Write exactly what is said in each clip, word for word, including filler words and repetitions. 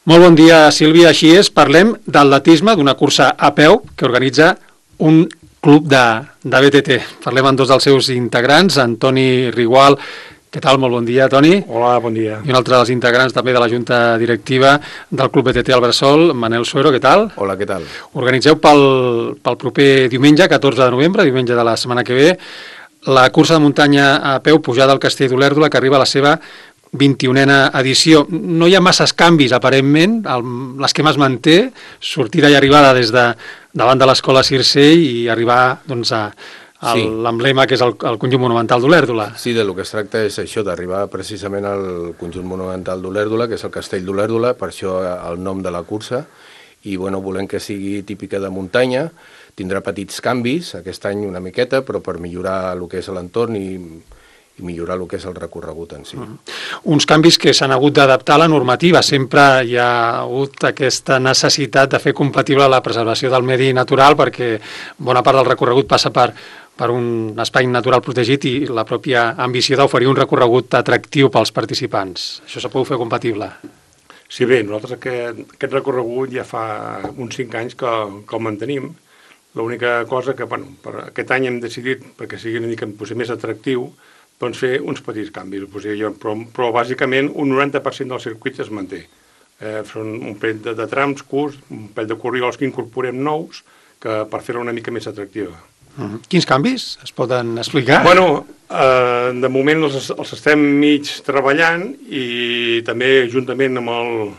Molt bon dia, Sílvia. Així és, parlem d'atletisme, d'una cursa a peu que organitza un club de, de B T T. Parlem amb dos dels seus integrants, Antoni Rigual. Què tal? Molt bon dia, Toni. Hola, bon dia. I un altre dels integrants també de la Junta Directiva del Club B T T al Bressol, Manel Suero. Què tal? Hola, què tal? Organitzeu pel, pel proper diumenge, catorze de novembre, diumenge de la setmana que ve, la cursa de muntanya a peu pujada al Castell d'Olèrdola, que arriba a la seva vint-i-unena edició. No hi ha masses canvis, aparentment. L'esquema es manté, sortida i arribada des de davant de l'escola Circell i arribar doncs, a sí. l'emblema que és el, el conjunt monumental d'Olèrdola. Sí, del que es tracta és això, d'arribar precisament al conjunt monumental d'Olèrdola, que és el Castell d'Olèrdola, per això el nom de la cursa, i bueno, volem que sigui típica de muntanya. Tindrà petits canvis, aquest any una miqueta, però per millorar el que és l'entorn i i millorar el que és el recorregut en si. Uh -huh. Uns canvis que s'han hagut d'adaptar a la normativa. Sempre hi ha hagut aquesta necessitat de fer compatible la preservació del medi natural, perquè bona part del recorregut passa per, per un espai natural protegit i la pròpia ambició d'oferir un recorregut atractiu pels participants. Això s'ha pogut fer compatible? Sí, bé, nosaltres aquest, aquest recorregut ja fa uns cinc anys que, que el mantenim. L'única cosa que, bueno, per aquest any hem decidit, perquè sigui una mica potser més atractiu, doncs fer uns petits canvis, però, però bàsicament un noranta per cent del circuit es manté. Eh, són un parell de, de trams curts, un parell de corriols que incorporem nous que per fer-la una mica més atractiva. Uh -huh. Quins canvis es poden explicar? Bueno, eh, de moment els, els estem mig treballant i també juntament amb el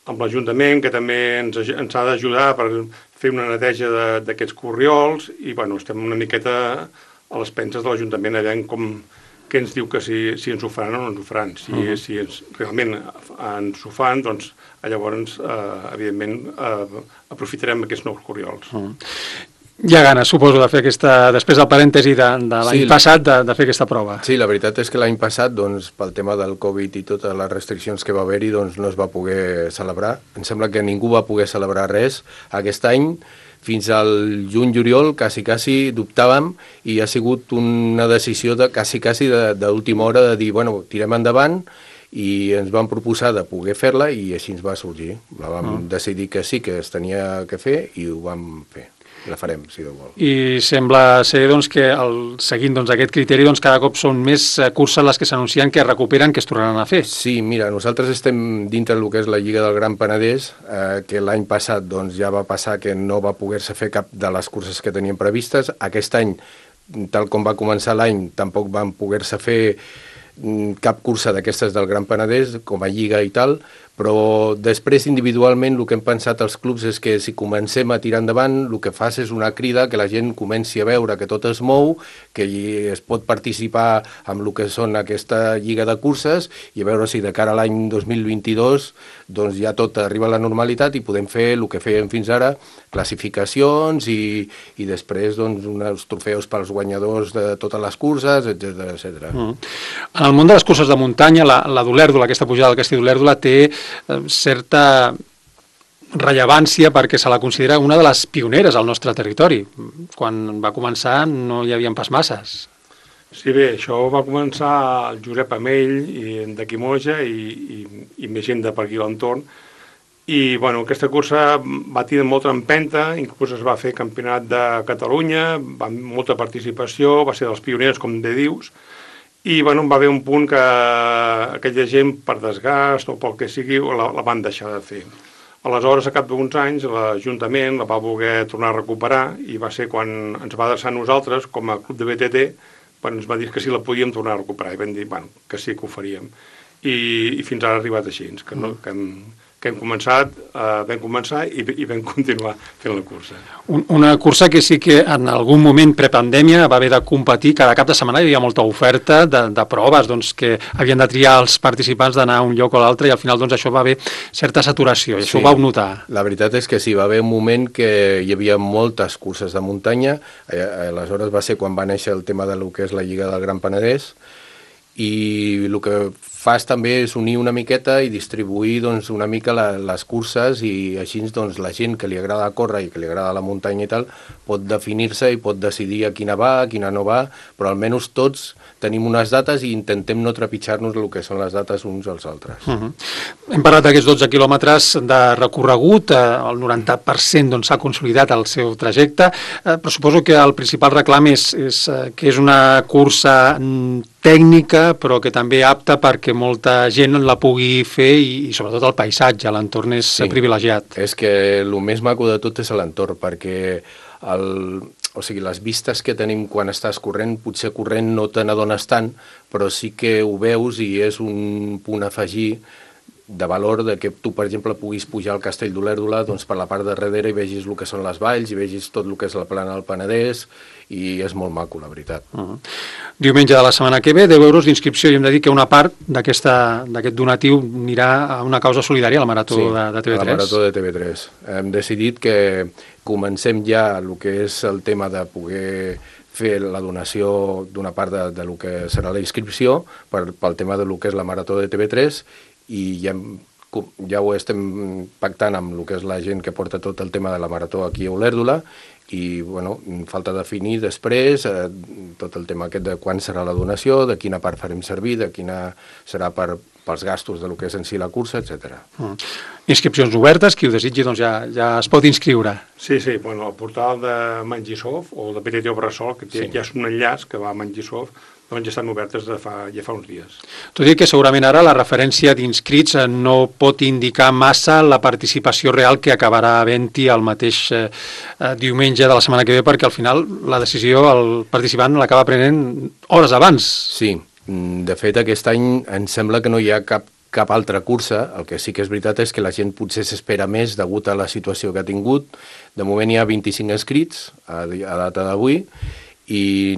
amb l'Ajuntament, que també ens, ens ha d'ajudar per fer una neteja d'aquests corriols i bueno, estem una miqueta a les penses de l'Ajuntament, a veure com, què ens diu que si, si ens ho faran o no ens ho faran. Si, uh -huh. si ens, realment ens ho fan, doncs llavors, eh, evidentment, eh, aprofitarem aquests nous corriols. Uh -huh. Hi ha ganes, suposo, de fer aquesta, després del parèntesi de, de l'any sí, passat, de, de fer aquesta prova. Sí, la veritat és que l'any passat, doncs, pel tema del Covid i totes les restriccions que va haver-hi, doncs no es va poder celebrar. Em sembla que ningú va poder celebrar res. Aquest any, fins al juny-juliol, quasi, quasi dubtàvem i ha sigut una decisió de quasi, quasi d'última hora de dir, bueno, tirem endavant i ens van proposar de poder fer-la i així ens va sorgir. La vam uh -huh. decidir que sí, que es tenia que fer i ho vam fer. La farem, si Déu vol. I sembla ser doncs, que el, seguint doncs, aquest criteri doncs, cada cop són més curses les que s'anuncien que es recuperen, que es tornaran a fer. Sí, mira, nosaltres estem dintre del que és la Lliga del Gran Penedès, eh, que l'any passat doncs, ja va passar que no va poder-se fer cap de les curses que teníem previstes. Aquest any, tal com va començar l'any, tampoc van poder-se fer cap cursa d'aquestes del Gran Penedès, com a Lliga i tal, però després individualment el que hem pensat als clubs és que si comencem a tirar endavant el que fas és una crida que la gent comenci a veure que tot es mou, que es pot participar amb el que són aquesta lliga de curses i a veure si de cara a l'any dos mil vint-i-dos doncs ja tot arriba a la normalitat i podem fer el que fèiem fins ara, classificacions i, i després doncs, uns trofeus pels guanyadors de totes les curses, etcètera etcètera. Mm. En el món de les curses de muntanya, la, la d'Olèrdola, aquesta pujada del Castell d'Olèrdola, té certa rellevància perquè se la considera una de les pioneres al nostre territori. Quan va començar no hi havia pas masses. Sí, bé, això va començar el Josep Amell i de Quimoja i, i, i més gent de per aquí a l'entorn. I bueno, aquesta cursa va tenir molta empenta, inclús es va fer campionat de Catalunya, va molta participació, va ser dels pioners, com bé dius, i bueno, va haver un punt que aquella gent, per desgast o pel que sigui, la, la van deixar de fer. Aleshores, a cap d'uns anys, l'Ajuntament la va voler tornar a recuperar i va ser quan ens va adreçar a nosaltres, com a club de B T T, quan ens va dir que sí la podíem tornar a recuperar i vam dir bueno, que sí que ho faríem. I, i fins ara ha arribat així, que, no, que hem... que hem començat, eh, vam començar i, i vam continuar fent la cursa. Un, una cursa que sí que en algun moment prepandèmia va haver de competir, cada cap de setmana hi havia molta oferta de, de proves doncs, que havien de triar els participants d'anar a un lloc o l'altre i al final doncs, això va haver certa saturació i sí, això ho vau notar. La veritat és que sí, va haver un moment que hi havia moltes curses de muntanya, aleshores va ser quan va néixer el tema de lo que és la Lliga del Gran Penedès i el que fas també és unir una miqueta i distribuir doncs, una mica la, les curses i així doncs, la gent que li agrada córrer i que li agrada la muntanya i tal pot definir-se i pot decidir a quina va, a quina no va, però almenys tots tenim unes dates i intentem no trepitjar-nos el que són les dates uns als altres. Uh -huh. Hem parlat d'aquests dotze quilòmetres de recorregut, eh, el noranta per cent doncs, s'ha consolidat el seu trajecte, eh, però suposo que el principal reclam és, és eh, que és una cursa tècnica, però que també apta perquè molta gent la pugui fer i, i sobretot el paisatge, l'entorn és sí. privilegiat. És que el més maco de tot és l'entorn, perquè el, o sigui, les vistes que tenim quan estàs corrent, potser corrent no te n'adones tant, però sí que ho veus i és un punt a afegir de valor de que tu, per exemple, puguis pujar al Castell d'Olèrdola doncs, per la part de darrere i vegis el que són les valls i vegis tot el que és la plana del Penedès i és molt maco, la veritat. Uh -huh. Diumenge de la setmana que ve, deu euros d'inscripció i hem de dir que una part d'aquest donatiu anirà a una causa solidària, a la Marató sí, de, de T V tres. Sí, a la Marató de T V tres. Hem decidit que comencem ja el que és el tema de poder fer la donació d'una part de, de lo que serà la inscripció per, pel tema de lo que és la Marató de T V tres i ja, ja ho estem pactant amb el que és la gent que porta tot el tema de la Marató aquí a Olèrdola i, bueno, falta definir després eh, tot el tema aquest de quan serà la donació, de quina part farem servir, de quina serà per, pels gastos de lo que és en si la cursa, etcètera. Mm. Inscripcions obertes, qui ho desitgi doncs ja, ja es pot inscriure. Sí, sí, bueno, el portal de Mangisoft o de P T T Obrasol, que té, sí. ja és un enllaç que va a Mangisoft, doncs ja estan obertes de fa, ja fa uns dies. Tot i que segurament ara la referència d'inscrits no pot indicar massa la participació real que acabarà havent-hi el mateix eh, diumenge de la setmana que ve, perquè al final la decisió el participant l'acaba prenent hores abans. Sí, de fet aquest any em sembla que no hi ha cap cap altra cursa. El que sí que és veritat és que la gent potser s'espera més degut a la situació que ha tingut. De moment hi ha vint-i-cinc inscrits a, a data d'avui i,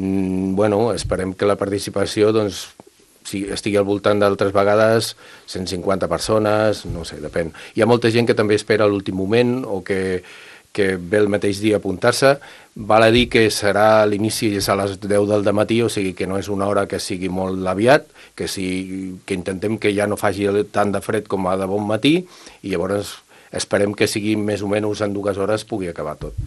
bueno, esperem que la participació, doncs, si estigui al voltant d'altres vegades cent cinquanta persones, no sé, depèn. Hi ha molta gent que també espera a l'últim moment o que, que ve el mateix dia a apuntar-se. Val a dir que serà l'inici és a les deu del dematí, o sigui que no és una hora que sigui molt aviat, que, si, que intentem que ja no faci tant de fred com a de bon matí i llavors esperem que sigui més o menys en dues hores pugui acabar tot.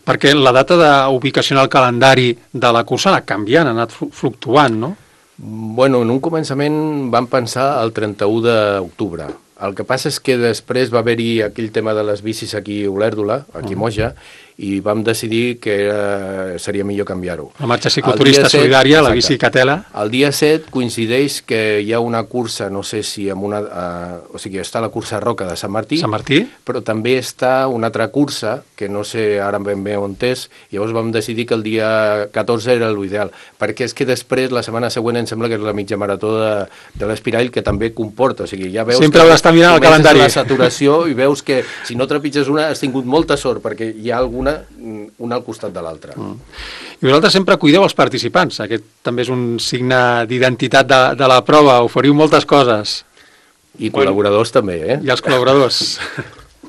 Perquè la data d'ubicació en el calendari de la cursa ha anat canviant, ha anat fluctuant, no? Bueno, en un començament vam pensar el trenta-u d'octubre. El que passa és que després va haver-hi aquell tema de les bicis aquí a Olèrdola, aquí a Moja, i vam decidir que era, seria millor canviar-ho. La marxa cicloturista solidària, la bici Catela. El dia set coincideix que hi ha una cursa, no sé si amb una... Uh, o sigui, està la cursa Roca de Sant Martí, Sant Martí, però també està una altra cursa, que no sé ara ben bé on és, llavors vam decidir que el dia catorze era l'ideal, perquè és que després, la setmana següent, em sembla que és la mitja marató de, de l'Espirall, que també comporta, o sigui, ja veus... Sempre heu d'estar mirant el calendari. La saturació i veus que si no trepitges una has tingut molta sort, perquè hi ha alguna una al costat de l'altra. Mm. I vosaltres sempre cuideu els participants. Aquest també és un signe d'identitat de, de la prova. Oferiu moltes coses. I col·laboradors bueno, també, eh? I els col·laboradors.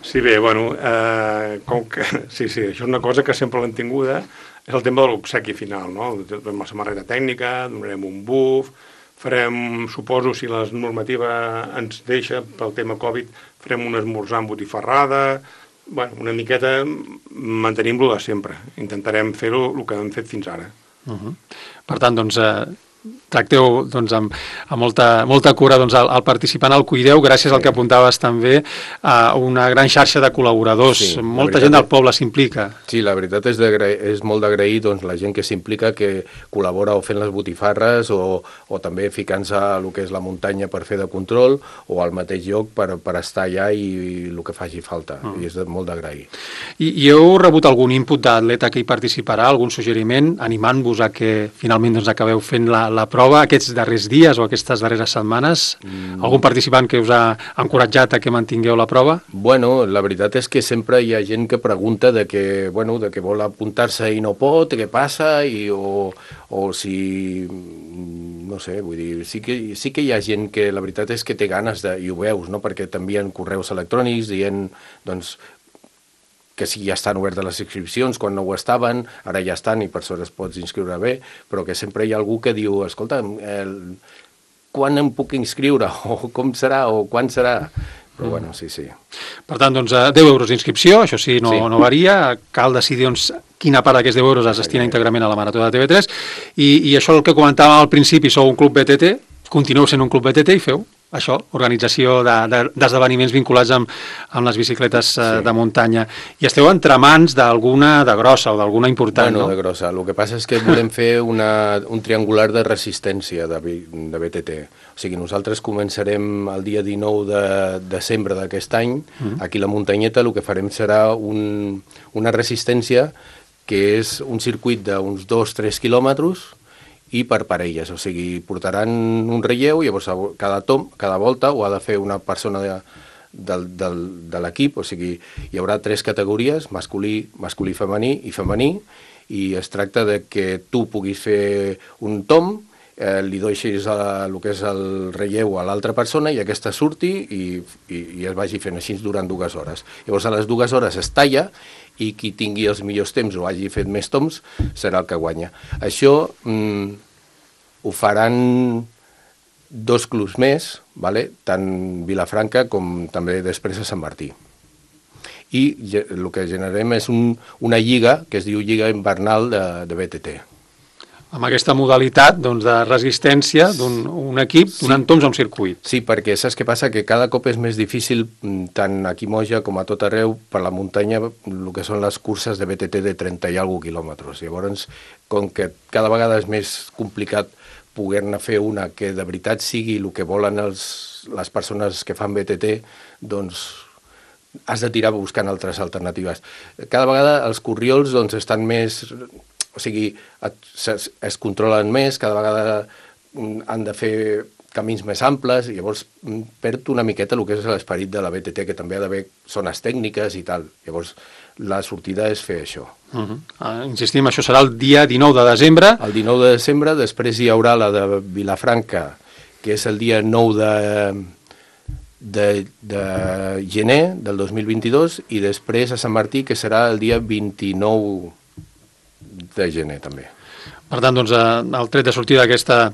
Sí, bé, bueno, eh, com que, sí, sí, això és una cosa que sempre l'hem tinguda, és el tema de l'obsequi final, no? Donem la samarreta tècnica, donarem un buf, farem, suposo, si la normativa ens deixa, pel tema Covid, farem un esmorzar amb botifarrada. Bueno, una miqueta mantenim-lo de sempre. Intentarem fer-ho el que hem fet fins ara. Uh -huh. Per tant, doncs, eh, tracteu doncs, amb, amb molta, molta cura doncs, el, el participant, el cuideu, gràcies sí. al que apuntaves també a una gran xarxa de col·laboradors. Sí, molta gent del poble s'implica. Sí, la veritat és, és molt d'agrair doncs, la gent que s'implica, que col·labora o fent les botifarres o, o també ficant-se a el que és la muntanya per fer de control o al mateix lloc per, per estar allà i, i el que faci falta. Mm. I és de, molt d'agrair. I, I heu rebut algun input d'atleta que hi participarà, algun suggeriment, animant-vos a que finalment doncs, acabeu fent la la prova aquests darrers dies o aquestes darreres setmanes? Mm. Algun participant que us ha encoratjat a que mantingueu la prova? Bueno, la veritat és que sempre hi ha gent que pregunta de que, bueno, de que vol apuntar-se i no pot, què passa, i, o, o si... no sé, vull dir, sí que, sí que hi ha gent que la veritat és que té ganes de... i ho veus, no?, perquè t'envien correus electrònics dient, doncs, que sí, ja estan obertes les inscripcions, quan no ho estaven, ara ja estan i per sort es pots inscriure bé, però que sempre hi ha algú que diu, escolta, el, quan em puc inscriure, o com serà, o quan serà. Però bueno, sí, sí. Per tant, doncs, deu euros d'inscripció, això sí, no, Sí. no varia, cal decidir doncs, quina part d'aquests deu euros es destina íntegrament a la Marató de T V tres, i, i això el que comentàvem al principi, sou un club B T T, continueu sent un club B T T i feu això, organització d'esdeveniments de, de, vinculats amb, amb les bicicletes sí. de muntanya. I esteu entre mans d'alguna de grossa o d'alguna important, bueno, no? de grossa. El que passa és que volem fer una, un triangular de resistència de, de B T T. O sigui, nosaltres començarem el dia dinou de desembre d'aquest any. Mm. Aquí a la muntanyeta el que farem serà un, una resistència que és un circuit d'uns dos a tres quilòmetres i per parelles, o sigui, portaran un relleu i llavors cada tom, cada volta ho ha de fer una persona de, de, de, de l'equip, o sigui, hi haurà tres categories, masculí, masculí femení i femení, i es tracta de que tu puguis fer un tom, eh, li deixis el que és el relleu a l'altra persona i aquesta surti i, i, i es vagi fent així durant dues hores. Llavors a les dues hores es talla i qui tingui els millors temps o hagi fet més toms serà el que guanya. Això mm, ho faran dos clubs més, vale? Tant Vilafranca com també després a Sant Martí. I el que generem és un, una lliga que es diu Lliga Invernal de, de B T T. Amb aquesta modalitat doncs, de resistència d'un un equip donant sí. toms a un circuit. Sí, perquè saps què passa? Que cada cop és més difícil, tant aquí a Moja com a tot arreu, per la muntanya, el que són les curses de B T T de trenta i alguna quilòmetres. Llavors, com que cada vegada és més complicat poder-ne fer una que de veritat sigui el que volen els, les persones que fan B T T, doncs has de tirar buscant altres alternatives. Cada vegada els corriols doncs, estan més... O sigui, es, es controlen més, cada vegada han de fer camins més amples, i llavors perd una miqueta el que és l'esperit de la B T T, que també ha d'haver zones tècniques i tal. Llavors, la sortida és fer això. Uh -huh. uh, insistim, això serà el dia dinou de desembre. El dinou de desembre, després hi haurà la de Vilafranca, que és el dia nou de, de, de gener del dos mil vint-i-dos, i després a Sant Martí, que serà el dia vint-i-nou de gener també. Per tant, doncs, el tret de sortida d'aquesta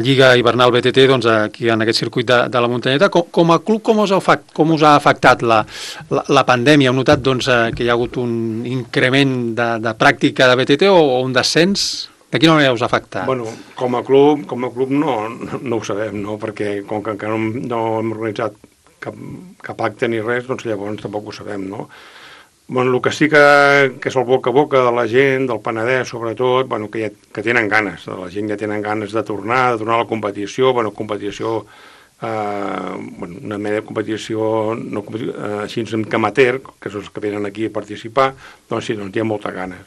Lliga Hivernal B T T, doncs, aquí en aquest circuit de, de la muntanyeta, com, com a club, com us ha, com us ha afectat la, la, la pandèmia? Heu notat doncs, que hi ha hagut un increment de, de pràctica de B T T o, o un descens? De quina manera us ha afectat? Bueno, com a club, com a club no, no, no ho sabem, no? Perquè com que encara no, no hem organitzat cap, cap acte ni res, doncs llavors tampoc ho sabem, no? Bueno, el que sí que, que és el boca a boca de la gent, del Penedès sobretot, bueno, que, ja, que tenen ganes, la gent ja tenen ganes de tornar, de tornar a la competició, bueno, competició, eh, bueno, una mena de competició, no, eh, així que amateur, que són els que venen aquí a participar, doncs sí, doncs hi ha moltes ganes.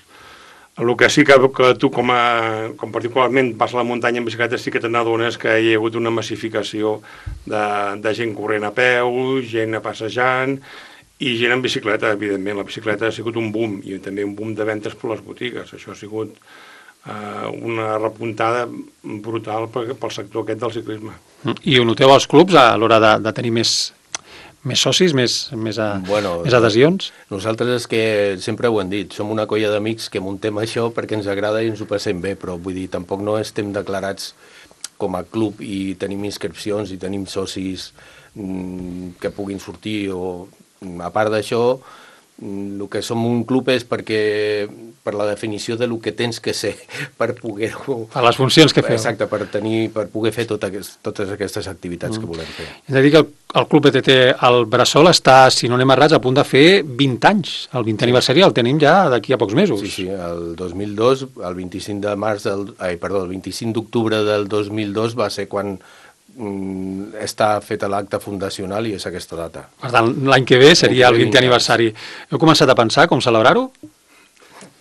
El que sí que, que tu com, a, com particularment vas a la muntanya en bicicleta sí que te n'adones que hi ha hagut una massificació de, de gent corrent a peu, gent passejant, i gent en bicicleta, evidentment. La bicicleta ha sigut un boom, i també un boom de ventes per les botigues. Això ha sigut eh, una repuntada brutal pel, pel sector aquest del ciclisme. I ho noteu als clubs a l'hora de, de tenir més, més socis, més, més, a, bueno, més adhesions? Nosaltres és que sempre ho hem dit, som una colla d'amics que muntem això perquè ens agrada i ens ho passem bé, però vull dir, tampoc no estem declarats com a club i tenim inscripcions i tenim socis mm, que puguin sortir o... A part d'això, el que som un club és perquè per la definició de lo que tens que ser per poder-ho... Per les funcions que feu. Exacte, per, tenir, per poder fer tot aquest, totes aquestes activitats mm. que volem fer. Hem de dir que el, el Club B T T al Bressol està, si no anem errats, a punt de fer vint anys. El vintè aniversari el tenim ja d'aquí a pocs mesos. Sí, sí, el dos mil dos, el vint-i-cinc de març del... Ai, perdó, el vint-i-cinc d'octubre del dos mil dos va ser quan està fet l'acte fundacional i és aquesta data. Per tant, l'any que ve seria el vintè aniversari. Heu començat a pensar com celebrar-ho?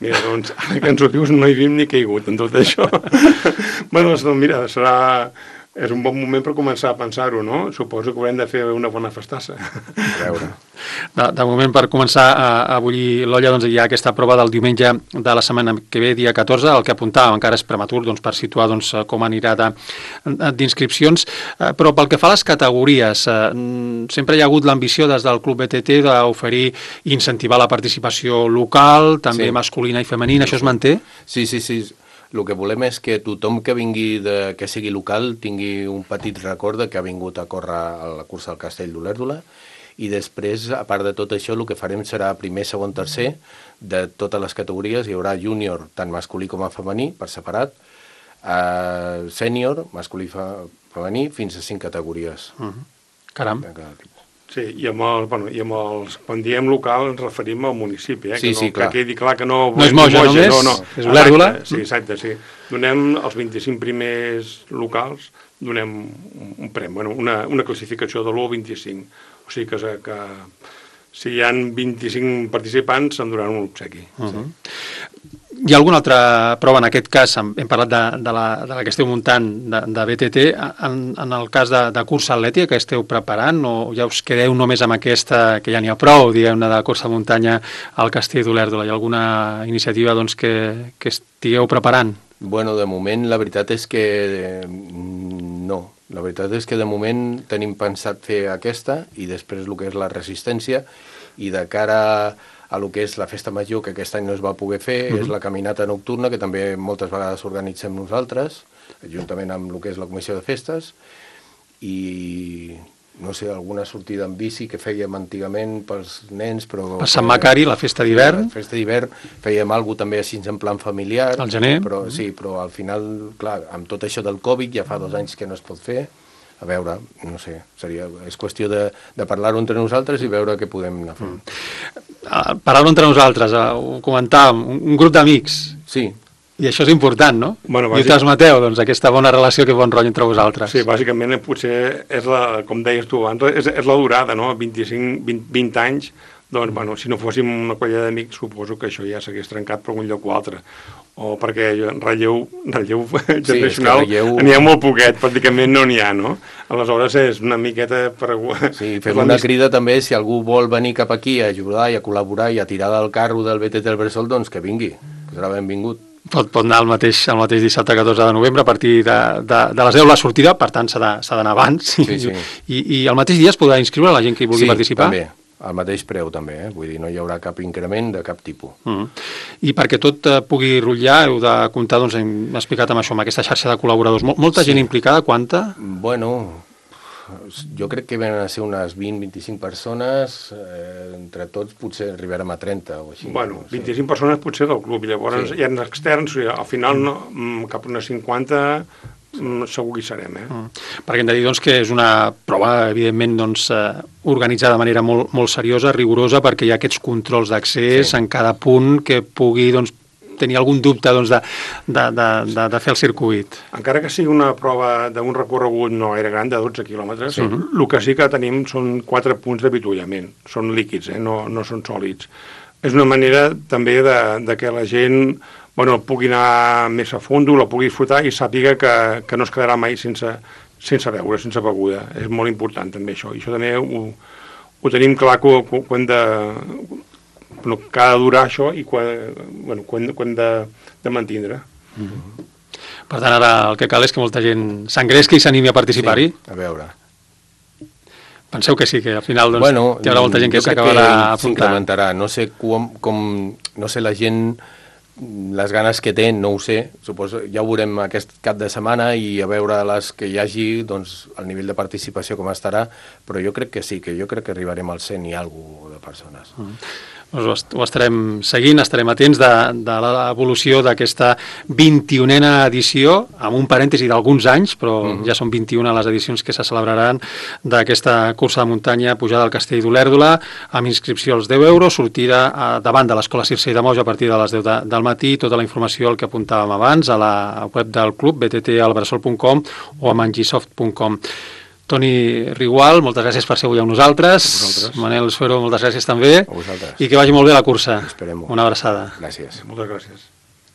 Mira, doncs, ara que ens ho dius, no hi havim ni caigut en tot això. Bueno, doncs, mira, serà... És un bon moment per començar a pensar-ho, no? Suposo que haurem de fer una bona festassa. A veure. De, de moment, per començar a, a bullir l'olla, doncs hi ha aquesta prova del diumenge de la setmana que ve, dia catorze, el que apuntàvem, encara és prematur doncs, per situar doncs, com anirà d'inscripcions, eh, però pel que fa a les categories, eh, sempre hi ha hagut l'ambició des del Club B T T d'oferir i incentivar la participació local, també sí. masculina i femenina, això es manté? Sí, sí, sí. el que volem és que tothom que vingui, de, que sigui local, tingui un petit record de que ha vingut a córrer a la cursa del Castell d'Olèrdola, i després, a part de tot això, el que farem serà primer, segon, tercer, de totes les categories. Hi haurà júnior, tant masculí com a femení, per separat, uh, sènior, masculí i femení, fins a cinc categories. Uh -huh. Caram. Sí, i amb, el, bueno, i amb els... Quan diem local ens referim al municipi, eh? Sí, que no, sí, clar. Que quedi clar que no... No és Moja, Moja només? No, no. És Olèrdola? Sí, exacte, sí. Donem els vint-i-cinc primers locals, donem un, un premi, bueno, una, una classificació de l'u al vint-i-cinc. O sigui que, que si hi ha vint-i-cinc participants se'n donaran un obsequi. Uh -huh. Sí. Hi ha alguna altra prova, en aquest cas, hem, hem parlat de, de, la, de la que esteu muntant de, de B T T, en, en el cas de, de cursa atlètica que esteu preparant, o ja us quedeu només amb aquesta, que ja n'hi ha prou, diguem-ne, de cursa de muntanya al Castell d'Olèrdola? Hi ha alguna iniciativa doncs, que, que estigueu preparant? Bueno, de moment la veritat és que eh, no. La veritat és que de moment tenim pensat fer aquesta i després el que és la resistència, i de cara a lo que és la festa major, que aquest any no es va poder fer, uh-huh. és la caminata nocturna, que també moltes vegades organitzem nosaltres, juntament amb el que és la comissió de festes, i no sé, alguna sortida en bici que fèiem antigament pels nens, però... Per Sant Macari, la festa d'hivern. La festa d'hivern, fèiem alguna també així en plan familiar. Al gener. Però, sí, però al final, clar, amb tot això del Covid, ja fa dos anys que no es pot fer. A veure, no sé, seria, és qüestió de, de parlar-ho entre nosaltres i veure què podem anar fent. Mm. Parlar-ho entre nosaltres, ho comentàvem, un, un grup d'amics. Sí. I això és important, no? Bueno, bàsic... I ho transmeteu, doncs, aquesta bona relació, que bon rotllo entre vosaltres. Sí, bàsicament potser és la, com deies tu abans, és, és la durada, no? vint-i-cinc, vint, vint anys, doncs, bueno, si no fóssim una colla d'amics, suposo que això ja s'hagués trencat per un lloc o altre. O perquè relleu, relleu generacional sí, relleu... n'hi ha molt poquet, pràcticament no n'hi ha, no? Aleshores és una miqueta per... Sí, fem una crida també, si algú vol venir cap aquí a ajudar i a col·laborar i a tirar del carro del B T T del Bressol, doncs que vingui, que serà benvingut. Pot, pot anar el mateix, el mateix dissabte catorze de novembre a partir de, de, de les deu la sortida, per tant s'ha d'anar abans. Sí, sí. I, I al mateix dia es podrà inscriure la gent que hi vulgui sí, participar? Sí, també. Al mateix preu també, eh? Vull dir, no hi haurà cap increment de cap tipus. Mm. I perquè tot eh, pugui rotllar heu de comptar, doncs hem explicat amb això, amb aquesta xarxa de col·laboradors. Mol, molta sí. gent implicada, quanta? Bueno, jo crec que venen a ser unes vint a vint-i-cinc persones, eh, entre tots potser arribarem a trenta o així. Bueno, no sé. vint-i-cinc persones potser del club, i llavors sí. hi ha externs, al final no, cap a unes cinquanta segur que hi serem, eh? Mm. Perquè hem de dir doncs, que és una prova, evidentment, doncs, eh, organitzada de manera molt, molt seriosa, rigorosa, perquè hi ha aquests controls d'accés sí. en cada punt que pugui doncs, tenir algun dubte doncs, de, de, de, de, de fer el circuit. Encara que sigui una prova d'un recorregut no gaire gran, de dotze quilòmetres, sí. el que sí que tenim són quatre punts d'avituallament. Són líquids, eh? no, no són sòlids. És una manera també de, de que la gent... bueno, pugui anar més a fons, la pugui disfrutar i sàpiga que, que no es quedarà mai sense, sense beure, sense beguda. És molt important també això. I això també ho, ho tenim clar que, que, que hem de... Bueno, que ha de durar això i que, bueno, que hem, que hem de, de mantindre. Mm-hmm. Per tant, ara el que cal és que molta gent s'engresqui i s'animi a participar-hi. Sí, a veure. Penseu que sí, que al final doncs, bueno, hi haurà molta gent que s'acabarà apuntant. S'incrementarà. No sé com, com... No sé la gent... les ganes que té, no ho sé, suposo, ja ho veurem aquest cap de setmana i a veure les que hi hagi, doncs, el nivell de participació com estarà, però jo crec que sí, que jo crec que arribarem al cent i alguna de persones. Mm. Doncs ho estarem seguint, estarem atents de, de l'evolució d'aquesta vint-i-unena edició, amb un parèntesi d'alguns anys, però mm-hmm. ja són vint-i-una les edicions que se celebraran d'aquesta cursa de muntanya pujada al Castell d'Olèrdola, amb inscripció als deu euros, sortida a, davant de l'Escola Circe de Moja a partir de les deu de, del matí, tota la informació el que apuntàvem abans a la web del club, b t t al bressol punt com o a mangisoft punt com. Toni Rigual, moltes gràcies per ser avui amb nosaltres. Manel Suero, moltes gràcies també. I que vagi molt bé la cursa. Esperem-ho. Una abraçada. Gràcies. Moltes gràcies.